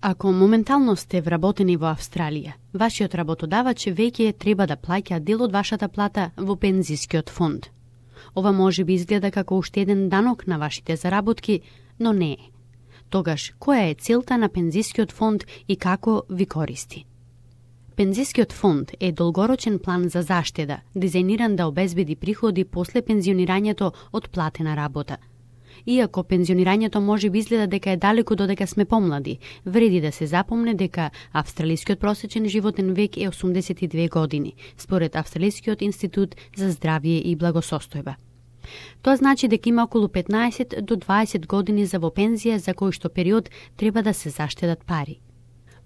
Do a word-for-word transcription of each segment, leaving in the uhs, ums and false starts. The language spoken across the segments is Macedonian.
Ако моментално сте вработени во Австралија, вашиот работодавач веќе треба да плаќа дел од вашата плата во пензискиот фонд. Ова може би изгледа како уште еден данок на вашите заработки, но не е. Тогаш, која е целта на пензискиот фонд и како ви користи? Пензискиот фонд е долгорочен план за заштеда, дизајниран да обезбеди приходи после пензионирањето од платена работа. Иако пензионирањето може би изгледа дека е далеку додека сме помлади, вреди да се запомне дека австралискиот просечен животен век е осумдесет и две години, според Австралискиот институт за здравје и благосостојба. Тоа значи дека има околу петнаесет до дваесет години за во пензија, за кој што период треба да се заштедат пари.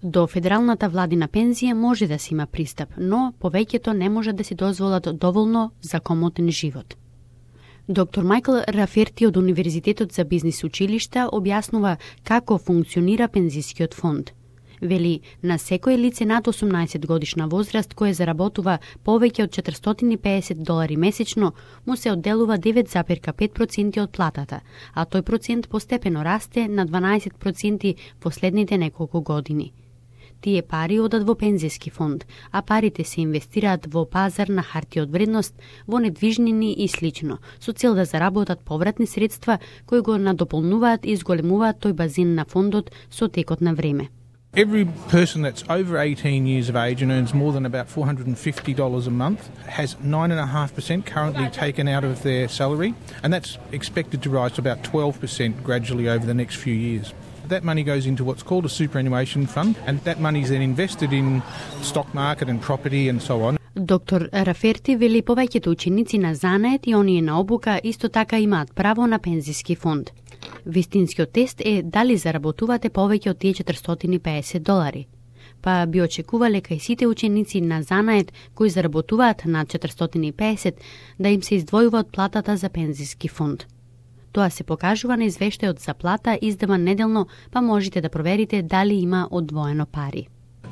До федералната владина пензија може да се има пристап, но повеќето не може да си дозволат доволно за комотен живот. Доктор Майкл Раферти од Универзитетот за бизнис училишта објаснува како функционира пензискиот фонд. Вели, на секое лице над осумнаесет годишна возраст кое заработува повеќе од четиристотини и педесет долари месечно, му се одделува девет зарез пет проценти од платата, а тој процент постепено расте на дванаесет проценти последните неколку години. Тие пари одат во пензиски фонд, а парите се инвестираат во пазар на харти од вредност, во недвижнини и слично, со цел да заработат повратни средства кои го надополнуваат и зголемуваат тој базин на фондот со текот на време. Every person that's over eighteen years of age and earns more than about four hundred fifty dollars a month has nine point five percent currently taken out of their salary, and that's expected to rise to about twelve percent gradually over the next few years. That money goes into what's called a superannuation fund, and that money is then invested in stock market and property and so on. Доктор Раферти вели повеќето ученици на занает и оние на обука исто така имаат право на пензиски фонд. Вистинскиот тест е дали заработувате повеќе од тие четиристотини и педесет долари. Па би очекувале кај сите ученици на занает кои заработуваат над четиристотини и педесет да им се издвојува од платата за пензиски фонд. Тоа се покажува на извештајот за плата издаван неделно, па можете да проверите дали има одвоено пари.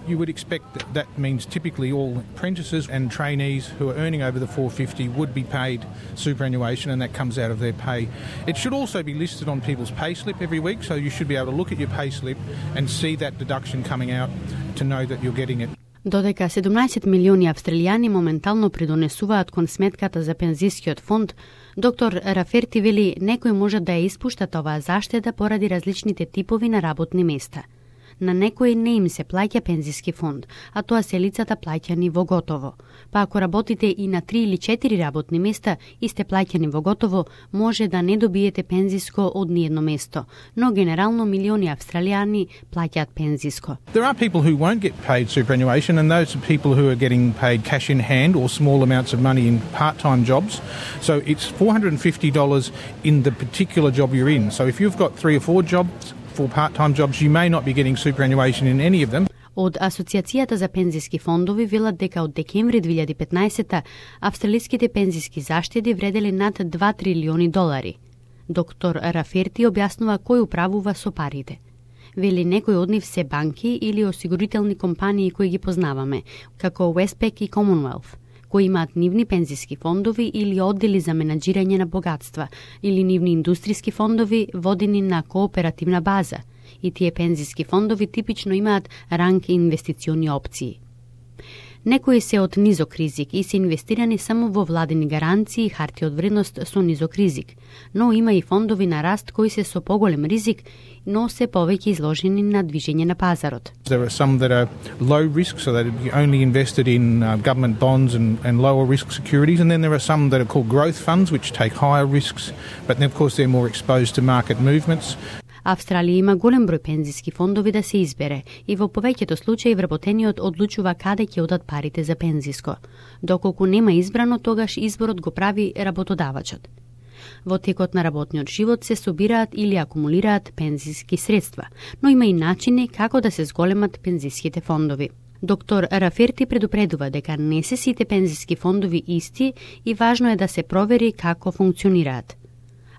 You would expect that that means typically all apprentices and trainees who are earning over the four hundred fifty would be paid superannuation, and that comes out of their pay. It should also be listed on people's payslip every week, so you should be able to look at your payslip and see that deduction coming out to know that you're getting it. Додека седумнаесет милиони австралијани моментално придонесуваат кон сметката за пензискиот фонд, доктор Раферти вели некои можат да ја испуштат оваа заштеда поради различните типови на работни места. На некои не им се плаќа пензиски фонд, а тоа се лицата плаќани во готово. Па ако работите и на три или четири работни места и сте плаќани во готово, може да не добиете пензиско од ниедно место, но генерално милиони австралијани плаќаат пензиско. There are people who won't get paid superannuation, and those are people who are getting paid cash in hand or small amounts of money in part-time jobs. So it's four hundred fifty dollars in the particular job you're in. So if you've got three or four jobs, for part-time jobs, you may not be getting superannuation in any of them. Од Асоциацијата за пензиски фондови велат дека од декември две илјади и петнаесета австралиските пензиски заштеди вределе над два трилиони долари. Доктор Раферти објаснува кој управува со парите. Вели некои од нив се банки или осигурителни компании кои ги познаваме, како Westpac и Commonwealth, кои имаат нивни пензиски фондови или оддели за менаџирање на богатства, или нивни индустријски фондови водени на кооперативна база. И тие пензиски фондови типично имаат ранг инвестициони опции. Некои се од низок ризик и се инвестирани само во владени гаранции и харти од вредност со низок ризик, но има и фондови на раст кои се со поголем ризик, но се повеќе изложени на движење на пазарот. There are some that are low risk, so that are only invested in uh, government bonds and, and lower risk securities, and then there are some that are called growth funds, which take higher risks, but then of course they're more exposed to market movements. Австралија има голем број пензиски фондови да се избере и во повеќето случаи вработениот одлучува каде ќе одат парите за пензиско. Доколку нема избрано, тогаш изборот го прави работодавачот. Во текот на работниот живот се собираат или акумулираат пензиски средства, но има и начини како да се зголемат пензиските фондови. Доктор Раферти предупредува дека не се сите пензиски фондови исти и важно е да се провери како функционираат.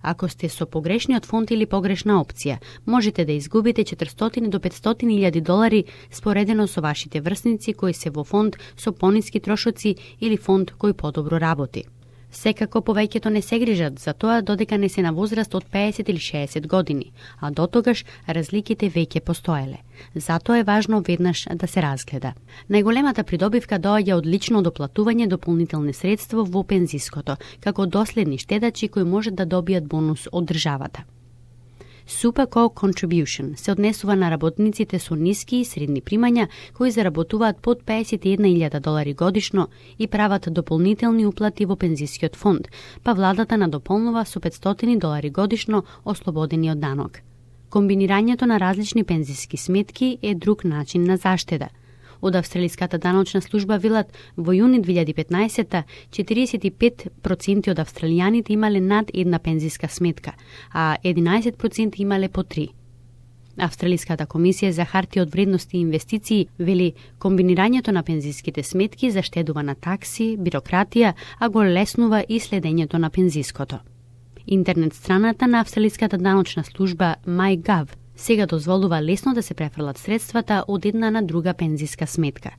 Ако сте со погрешниот фонд или погрешна опција, можете да изгубите четиристотини до петстотини илјади долари споредено со вашите врсници кои се во фонд со пониски трошоци или фонд кој подобро работи. Секако повеќето не се грижат за тоа додека не се на возраст од педесет или шеесет години, а дотогаш разликите веќе постоеле. Затоа е важно веднаш да се разгледа. Најголемата придобивка доаѓа од лично доплатување дополнителни средства во пензиското, како доследни штедачи кои можат да добијат бонус од државата. Super Co-Contribution се однесува на работниците со ниски и средни примања кои заработуваат под педесет и една илјада долари годишно и прават дополнителни уплати во пензискиот фонд, па владата надополнува со петстотини долари годишно ослободени од данок. Комбинирањето на различни пензиски сметки е друг начин на заштеда. Од австралиската даночна служба велат во јуни две илјади и петнаесетта четириесет и пет проценти од австралијаните имале над една пензиска сметка, а единаесет проценти имале по три. Австралиската комисија за хартија од вредности и инвестиции вели комбинирањето на пензиските сметки заштедува на такси, бирократија, а го леснува и следењето на пензиското. Интернет страната на австралиската даночна служба MyGov сега дозволува лесно да се префрлат средствата од една на друга пензиска сметка.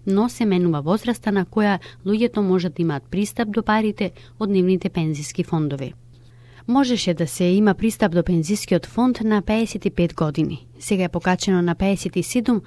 Но се менува возраста на која луѓето можат да имаат пристап до парите од нивните пензиски фондови. Можеше да се има пристап до пензискиот фонд на педесет и пет години. Сега е покачено на педесет и седум,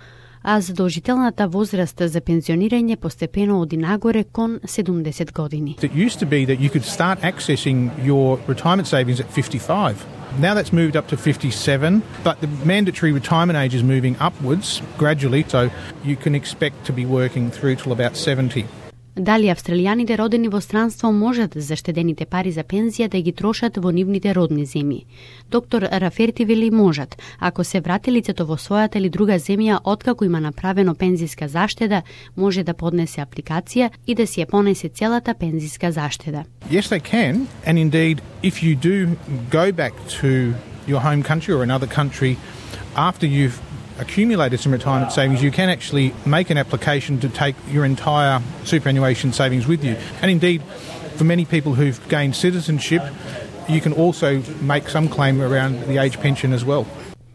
а задолжителната возраст за пензионирање постепено оди нагоре кон седумдесет години. It used to be that you could start accessing your retirement savings at fifty-five. Now that's moved up to fifty-seven, but the mandatory retirement age is moving upwards gradually, so you can expect to be working through till about seventy. Дали австралијаните родени во странство можат заштедените пари за пензија да ги трошат во нивните родни земји? Доктор Раферти вели можат, ако се врати лицето во својата или друга земја откако има направено пензиска заштеда, може да поднесе апликација и да си ја понесе целата пензиска заштеда. Yes, they can, and indeed, if you do go back to your home country or another country after you've accumulated some retirement savings, you can actually make an application to take your entire superannuation savings with you. And indeed, for many people who've gained citizenship, you can also make some claim around the age pension as well.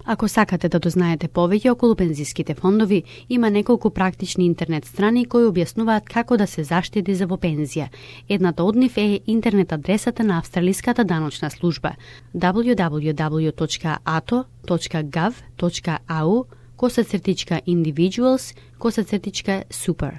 Ако сакате да дознаете повеќе околу пензиските фондови, има неколку практични интернет страни кои објаснуваат како да се заштеди за во пензија. Едната од нив е интернет адресата на австралиската даночна служба дабљу дабљу дабљу точка а т о точка гов точка а у косацртичка individuals косацртичка super.